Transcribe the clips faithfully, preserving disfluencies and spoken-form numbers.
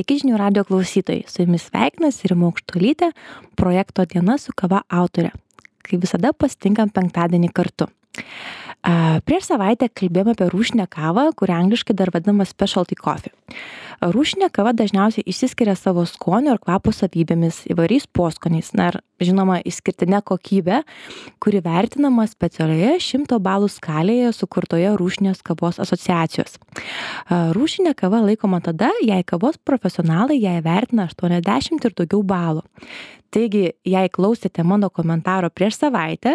Sveiki žinių radio klausytojai, su jumis sveikinasi Rima Aukštuolytė, projekto Diena su kava autorė. Kaip visada pasitinkam penktadienį kartu. A, prieš savaitę kalbėjome apie rūšinę kavą, kuri angliškai dar vadinama specialty coffee. Rūšinė kava dažniausiai išsiskiria savo skonio ir kvapo savybėmis, įvairiais poskoniais, na ir žinoma išskirtinė kokybė, kuri vertinama specialioje šimto balų skalėje sukurtoje rūšinės kavos asociacijos. Rūšinė kava laikoma tada, jei kavos profesionalai ją įvertina aštuoniasdešimt ir daugiau balų. Taigi, jei klausėte mano komentaro prieš savaitę,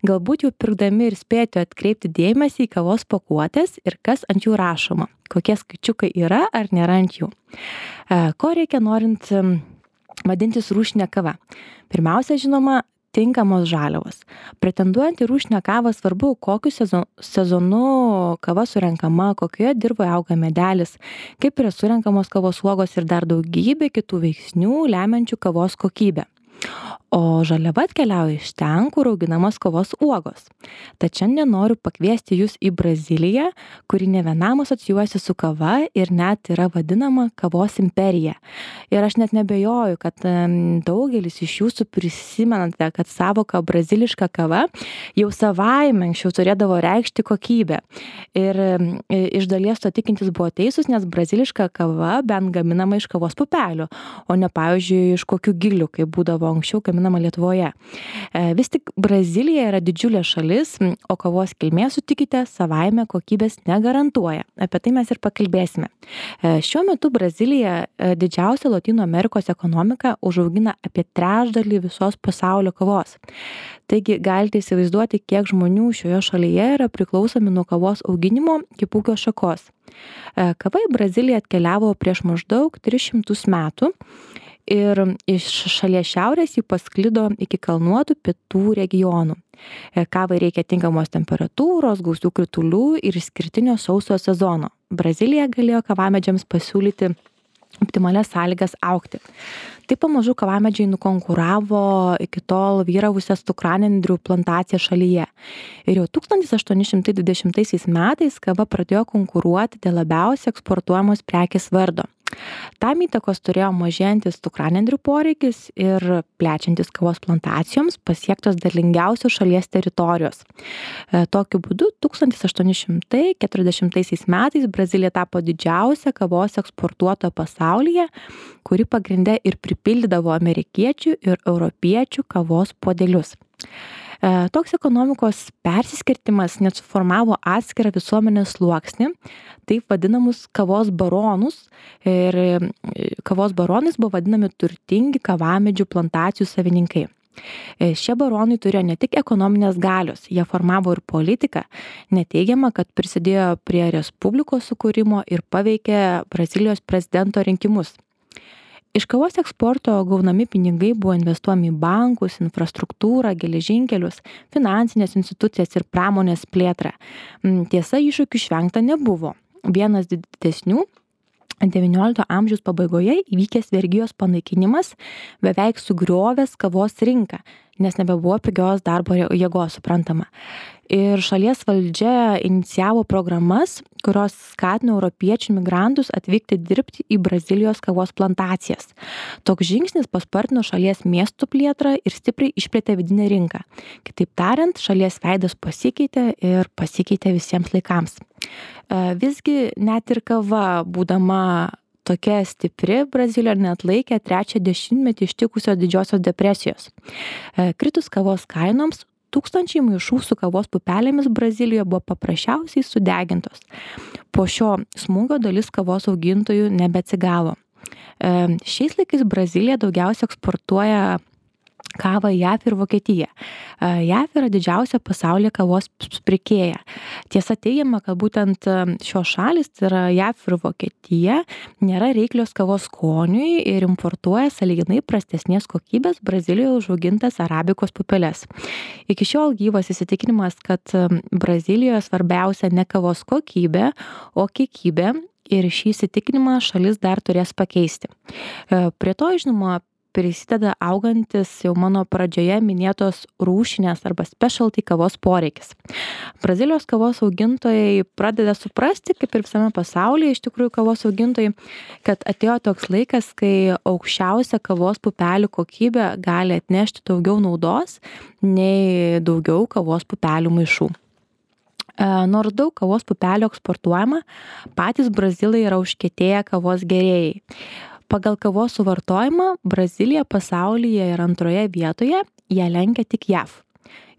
galbūt jau pirkdami ir spėjote atkreipti dėmesį į kavos pakuotės ir kas ant jų rašoma, kokie skaičiukai yra ar nėra ant jų. Ko reikia norint vadintis rūšinė kava? Pirmiausia, žinoma, tinkamos žaliavos. Pretenduojant į rūšinę kavą svarbu, kokiu sezonu kava surenkama, kokioje dirvoje auga medelis, kaip yra surenkamos kavos uogos ir dar daugybė kitų veiksnių lemiančių kavos kokybę. O žaliava atkeliauja iš ten, kur auginamos kavos uogos. Tad šiandien noriu pakviesti jūs į Braziliją, kuri ne vienam asocijuojasi su kava ir net yra vadinama kavos imperija. Ir aš net nebejoju, kad daugelis iš jūsų prisimenate, kad savoka braziliška kava jau savaime anksčiau turėdavo reikšti kokybę. Ir iš dalies to tikintis buvo teisūs, nes braziliška kava bent gaminama iš kavos pupelių, o ne pavyzdžiui iš kokių gilių, kaip būdavo anksčiau gaminama Lietuvoje. Vis tik Brazilija yra didžiulė šalis, o kavos kilmė, sutikite, savaime kokybės negarantuoja. Apie tai mes ir pakalbėsime. Šiuo metu Brazilija, didžiausia Lotynų Amerikos ekonomika, užaugina apie trečdalį visos pasaulio kavos. Taigi galite įsivaizduoti, kiek žmonių šioje šalyje yra priklausomi nuo kavos auginimo kaip ūkio šakos. Kava į Braziliją atkeliavo prieš maždaug tris šimtus metų. Ir iš šalies šiaurės jį pasklido iki kalnuotų pietų regionų. Kavai reikia tinkamos temperatūros, gausių kritulių ir išskirtinio sauso sezono. Brazilija galėjo kavamedžiams pasiūlyti optimalias sąlygas augti. Taip pamažu kavamedžiai nukonkuravo iki tol vyravusias cukranendrių plantaciją šalyje. Ir jau tūkstantis aštuoni šimtai dvidešimtaisiais metais kava pradėjo konkuruoti dėl labiausiai eksportuojamos prekės vardo. Tam įtakos turėjo mažėjantis cukranendrių poreikis ir plečiantis kavos plantacijoms pasiektos derlingiausios šalies teritorijos. Tokiu būdu tūkstantis aštuoni šimtai keturiasdešimtaisiais metais Brazilija tapo didžiausia kavos eksportuotoja pasaulyje, kuri pagrinde ir pripildydavo amerikiečių ir europiečių kavos puodelius. Toks ekonomikos persiskirtimas net suformavo atskirą visuomenės sluoksnį, taip vadinamus kavos baronus. Ir kavos baronais buvo vadinami turtingi kavamedžių plantacijų savininkai. Šie baronai turėjo ne tik ekonominės galios, jie formavo ir politiką. Neteigiama, kad prisidėjo prie respublikos sukūrimo ir paveikė Brazilijos prezidento rinkimus. Iš kavos eksporto gaunami pinigai buvo investuojami į bankus, infrastruktūrą, geležinkelius, finansinės institucijas ir pramonės plėtrą. Tiesa, iššūkių išvengta nebuvo. Vienas didesnių devyniolikto amžiaus pabaigoje įvykęs vergijos panaikinimas beveik sugriovęs kavos rinką, nes nebebuvo pigios darbo jėgos, suprantama. Ir šalies valdžia inicijavo programas, kurios skatino europiečių migrantus atvykti dirbti į Brazilijos kavos plantacijas. Toks žingsnis paspartino šalies miestų plėtrą ir stipriai išplėtė vidinę rinką. Kitaip tariant, šalies veidas pasikeitė ir pasikeitė visiems laikams. Visgi net ir kava, būdama tokia stipri, Brazilija neatlaikė trečią dešimtmetį ištikusios didžiosios depresijos. Kritus kavos kainoms, tūkstančiai maišų su kavos pupelėmis Brazilijoje buvo paprasčiausiai sudegintos. Po šio smūgio dalis kavos augintojų nebeatsigavo. Šiais laikais Brazilija daugiausia eksportuoja kavą į JAV ir Vokietiją. JAV yra didžiausia pasaulyje kavos pirkėja. Tiesa teigiama, kad būtent šios šalys, tai yra JAV ir Vokietija, nėra reiklios kavos skoniui ir importuoja sąlyginai prastesnės kokybės Brazilijoje užaugintas arabikos pupeles. Iki šiol gyvas įsitikinimas, kad Brazilijoje svarbiausia ne kavos kokybė, o kiekybė, ir šį įsitikinimą šalis dar turės pakeisti. Prie to, žinoma, prisideda augantis jau mano pradžioje minėtos rūšinės arba specialty kavos poreikis. Brazilijos kavos augintojai pradeda suprasti, kaip ir visame pasaulyje iš tikrųjų kavos augintojai, kad atėjo toks laikas, kai aukščiausia kavos pupelių kokybė gali atnešti daugiau naudos nei daugiau kavos pupelių maišų. Nors daug kavos pupelių eksportuojama, patys brazilai yra užkietėję kavos gėrėjai. Pagal kavos suvartojimą Brazilija pasaulyje yra antroje vietoje, ją lenkia tik J A V.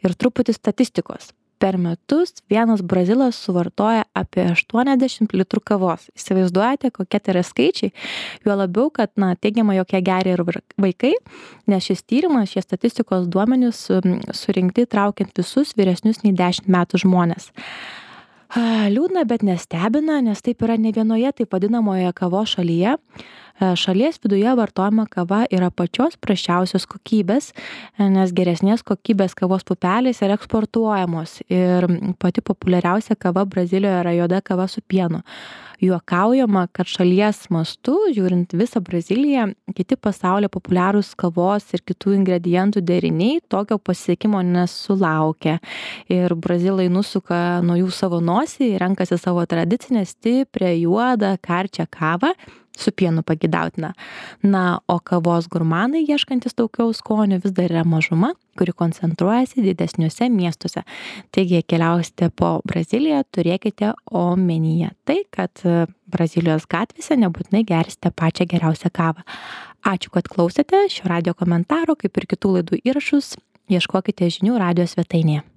Ir truputį statistikos. Per metus vienas brazilas suvartoja apie aštuoniasdešimt litrų kavos. Įsivaizduojate, kokie tai yra skaičiai? Juo labiau, kad na, teigiama, jog ją geria ir vaikai, nes šis tyrimas, šie statistikos duomenys surinkti traukiant visus vyresnius nei dešimt metų žmonės. Liūdna, bet nestebina, nes taip yra ne vienoje taip vadinamoje kavos šalyje. Šalies viduje vartojama kava yra pačios prasčiausios kokybės, nes geresnės kokybės kavos pupelės yra eksportuojamos ir pati populiariausia kava Brazilijoje yra juoda kava su pienu. Juokaujama, kad šalies mastu, žiūrint visą Braziliją, kiti pasaulyje populiarūs kavos ir kitų ingredientų deriniai tokio pasiekimo nesulaukia. Ir brazilai nusuka nuo jų savo nosį, renkasi savo tradicinę stiprią juodą karčią kavą, su pienu pagidautina. Na, o kavos gurmanai, ieškantis daugiau skonio, vis dar yra mažuma, kuri koncentruojasi didesniuose miestuose. Taigi, keliausite po Braziliją, turėkite omenyje tai, kad Brazilijos gatvėse nebūtinai gersite pačią geriausią kavą. Ačiū, kad klausėte šio radijo komentaro, kaip ir kitų laidų įrašus, ieškokite žinių radijo svetainėje.